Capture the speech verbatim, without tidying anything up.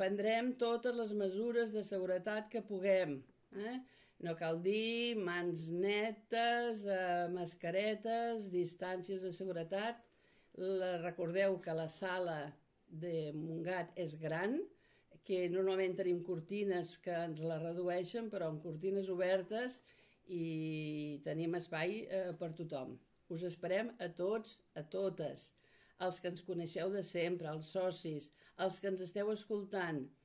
Prendrem totes les mesures de seguretat que puguem. Eh? No cal dir mans netes, eh, mascaretes, distàncies de seguretat. La, recordeu que la sala de Montgat és gran, que normalment tenim cortines que ens la redueixen, però amb cortines obertes i tenim espai eh, per tothom. Us esperem a tots, a totes, els que ens coneixeu de sempre, els socis, els que ens esteu escoltant.